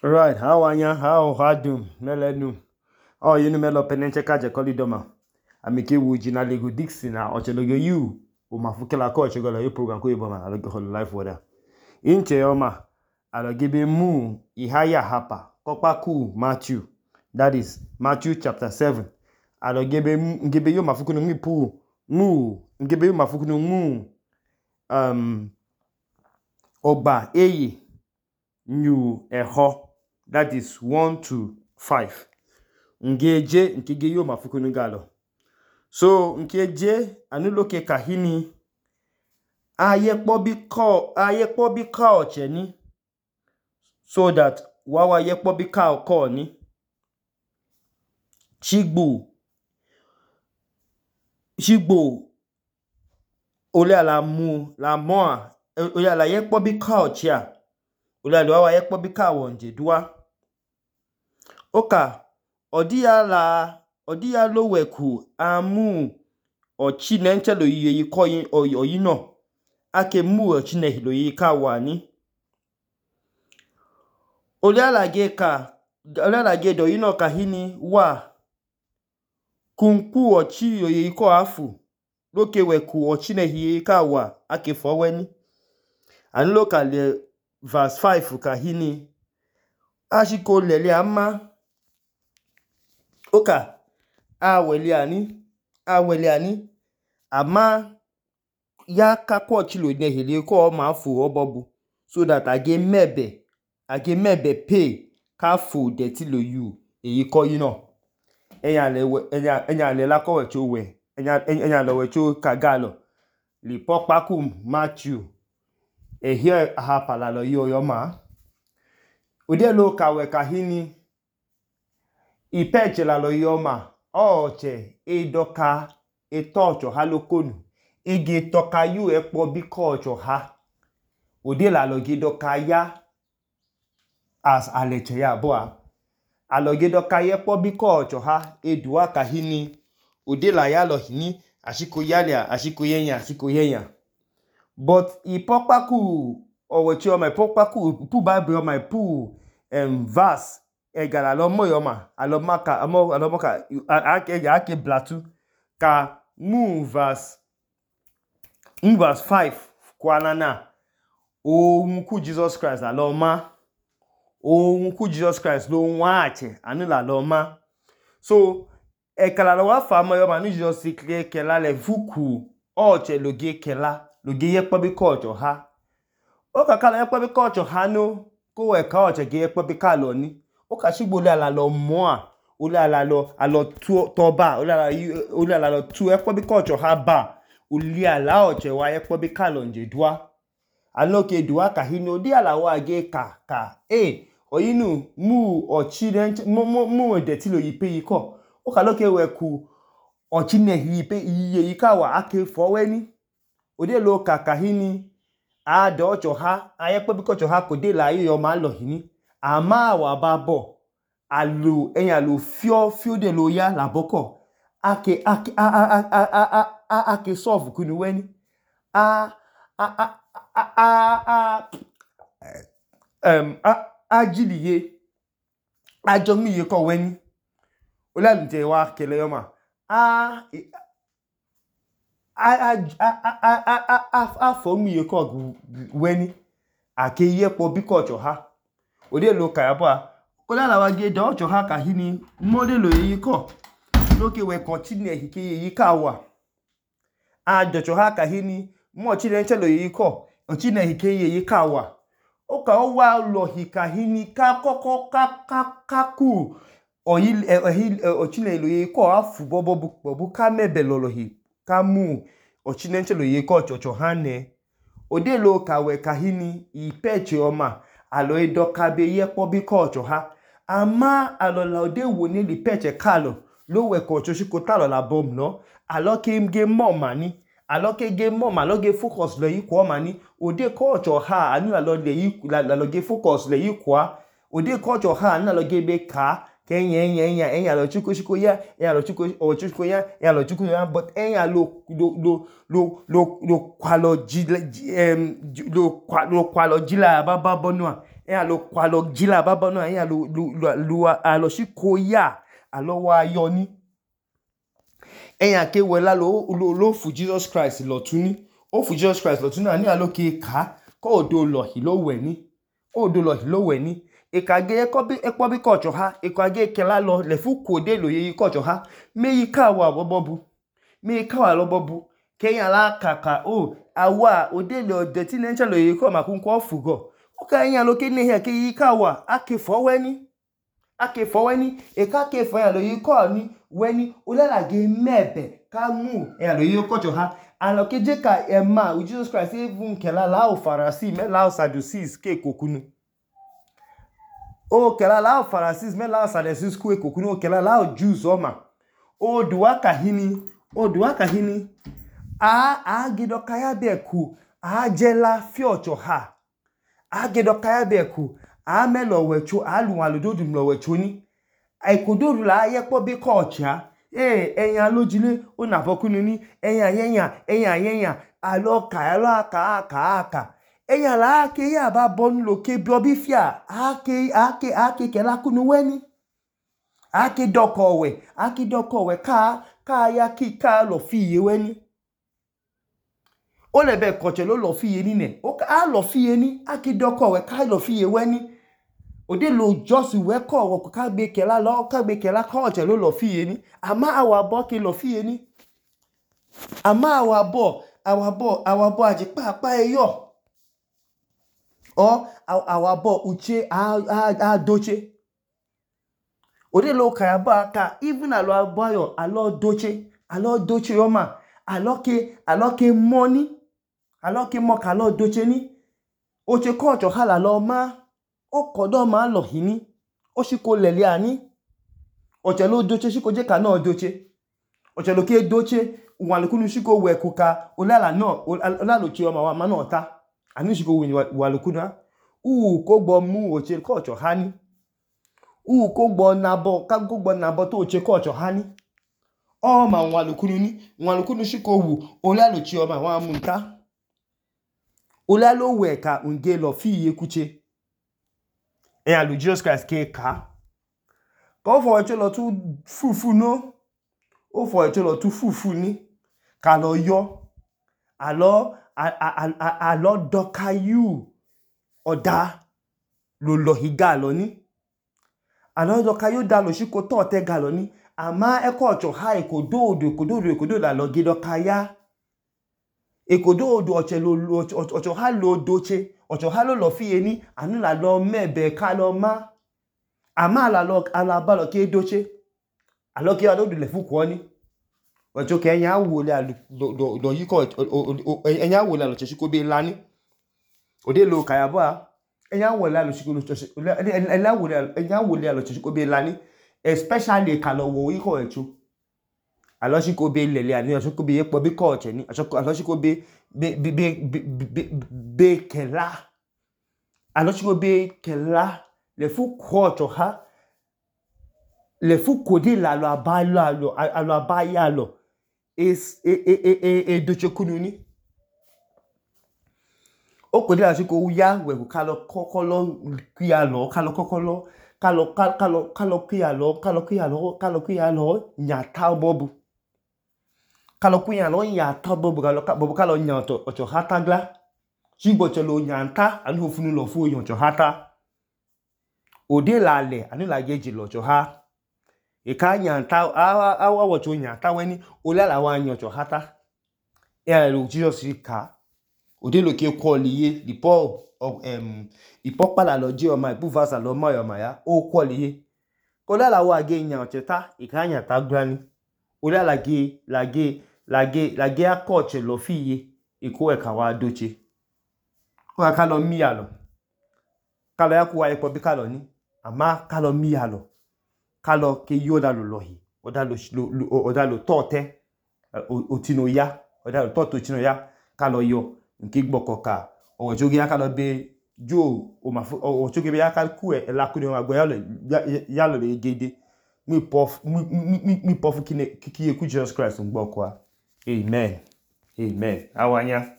Right, how anya, how dum, melenu. Oh, you know melo penenche kaje kolidoma. Amike wuji na Lego Dixie na ochelogo you. O mafukela ko ochegola yo program ko yoboma alogo hol life water. Inche yoma alogibe mu ihaya hapa. Kokpa ku Matthew. That is Matthew chapter 7. Alogibe ngebe yo mafukunu ngipu mu ngebe yo mafukunu mu Oba eye new eho. That is 1 to 5. Ngeje nkige yo mafukunu galo. So nkeje anuloke kahini ayekpo bi ka ocheni so that wawa yekpo bi ka oko ni shigbo ole ala mu la moa ole ala yekpo bi ka ochia ole ala wawa yekpo bi ka wonje dua oka odiya lo weku amu ochine nchelo yi koyin oyino ake mu ochine hilo yi ka wani ole ala ge do yino kahini wa kunku ochi yoyi ko afu loke weku ochine hi ka wa ake foweni anloka le verse 5 kahini ashiko lele ama oka awele ani ama ya kakwo chilo ne hele ko ma fu obobu so that age mebe pay ka fu de ti lo you eyi ko yino enya le la ko we cho we enya lo we cho kagalo li pokpaku Matthew here hapala lo yo ma ode lo kawe kahini ipeche la lo yoma oche edoka etocho halokonu ige toka yu epo bikocho ha ode la lo gidoka ya as aleche ya boa aloge doka yepo bikocho ha edua kahini ode la ya lo hini ashiko yenya but ipokpaku owechi o my pokpaku pu bible o my pu verse egala lo moyoma alomoka ake blatu ka mu verse 5 kwanana ohun ku Jesus Christ aloma ohun ku Jesus Christ lo nwache anula loma so ekala lo wa fa moyoma ni Jesus sikle kela le vuku oche loge kela loge yepo bi kocho ha o kakala yepo bi kocho ha no ko we ka oche ge yepo bi ka lo ni o ka shigbo le ala lo moa ole ala lo to ba ole ala lo tu epo bi kocho ha ba ole ala oche wa epo bi ka lo nje dua aloke dua kahini odi ala wa ge ka oyinu mu ochi mu de ti lo yipe yiko o ka loke we ku ochi ne yipe iye yika wa ake foweni odi lo ka kahini a do ocho ha ayepo bi kocho ha ko de la yo ma lo hini ama wa babo alu enya lo fio de lo ya la boko ake solve kunu weni ajiliye ajomiye ko weni olalunje wa kele yoma fomiye ko weni ake yepo bikocho ha ode lo kayabo kolala wa ge do ocho ha kahini modelo yi ko loke we continue hike yi ka wa adocho ha kahini mo chile nchelo yi ko ochine hike yi ka wa o ka o wa lo hikahini ka koko ku ochine lo yi ko afu bobu ka mebe lolo hi ka mu ochine nchelo yi ko chocho ha ne ode lo ka we kahini ipeche oma alo edoka be yepo bi kocho ha ama alo la ode wo ni li peche kalo lo we kocho shiko talo la bom no alo ke ge moma ni alo ke ge moma lo ge focus lo yi ko mani ode kocho ha anu alo le yi la lo ge focus le yi kwa ode kocho ha anu alo ge be ka enya lo chuko ya enya lo chuko ya but enya lo kwalo jila baba bonua lo kwalo jila baba no lo alo shiko ya alo wa yo ni ke wela lo fu Jesus Christ lo tuni o fu Jesus Christ lo tuni ani alo ke ka ko odo lo hi lo we ni odo lo hi lo we ni ekage ekpo bi kocho ha ekage kela lo le fu kode lo ye kocho ha me yi ka wa bobobu me ka wa lo bobu keyan la kaka o awa ode lo de ti nencha lo ye ko ma kun ko fugo o ka yan lo ke ne he ke yi ka wa ake fo we ni eka ke fo yan lo yi ko ni we ni o la ge mebe ka mu yan lo ye kocho ha alo ke je ka ema Jesus Christ even kela la o Pharisee me la o Sadducees ke kokunu o kela la o Pharisees me la o Sadducees ku e kokunu o kela la o Jews o ma o duwa ka hini a gido kaya beku a jela fi ocho ha a gido kaya beku a me lo wecho a lu wan lo dodu lo wecho ni ai kodoru la ye po bi kocha eyan lojile o na bokunu ni eyan alo aka eyan la ke ya ba bonu lo ke bi obi fia ake ke la kunu weni ake doko we ka ya ki ka lo fi ye weni o le be koche lo fi ye ni ne o ka lo fi ye ni ake doko we ka lo fi ye weni ode lo just we ko wo ka gbe kela koche lo fi ye ni ama awa bo ke lo fi ye ni ama awa bo aje pa eyo o awa bo uche a doche ode lo ka ba ka even alo abayo alo doche yo ma alo ke money alo ke mo ka lo doche ni o che kocho hala lo ma o kodo ma lo hini o shiko lele ani o che lo doche shiko je ka no doche o che lo ke doche wan lo kunu shiko we kuka olala lo chi o ma no ta ani shiko wa lo kunu ko gbo mu o che kocho hani ko gbo nabo to che kocho hani o ma wan lo kunu shiko wu olala lo chi o ma wa mu nta olala lo we ka unge lo fi ye kuche lu Jesus Christ ke ka ko fo echo lo tu fufu no o fo echo lo tu fufu ni ka lo yo alo dokayu oda lo higa lo ni alo dokayu da lo shiko to te ga lo ni ama kocho ha ekododo la lo gido kaya ekododo ocho ha lo doche ocho ha lo fi ye ni anu la lo mebe ka lo ma ama ala ba lo ke doche alo ke ado le fu ko ni ocho ke yan wo le lo yi ko yan wo le lo che shiko be lani ode lo kaya ba yan wo le lo shiko yan wo le lo che shiko be lani especially ka lo wo yi ko echo alo shiko be lele ani shiko be yepo bi ko che ni alo shiko be kela alo shiko be kela le fu kocho ha le fu kode la lo abaya lo doche kunu ni o kode la shiko uya we ku kalo kokolo kuya lo kalo kokolo kalo kuya lo nyata bobu kalo kuya lo nyata bobu kalo nyato ocho hata gla shigbo chelo nyanta anu funu lo fu yon ocho hata ode la le anu la geji lo ocho ha ka nyanta awa wocho nyanta weni olala wa nyon ocho hata lo Jesus ka ode lo ke kwoliye ipo pala lo je o ma ipu vasa lo ma yo ma ya o kwoliye ko la wa ge nyan ocheta ka nyanta grani olala ge akoche lo fiye iko e ka wa doche ko ka lo mi alo kalo ya ku wa ipo bi kalo ni ama kalo mi alo kalo ke yoda lo lohi oda lo tote otino ya oda lo toto otino ya kalo yo nke gboko ka o jogi aka lo be jo o jogi be aka ku e la ku ni ma gbo ya lo le gede mi pofu kine ki ku Jesus Christ ngbo kwa amen awanya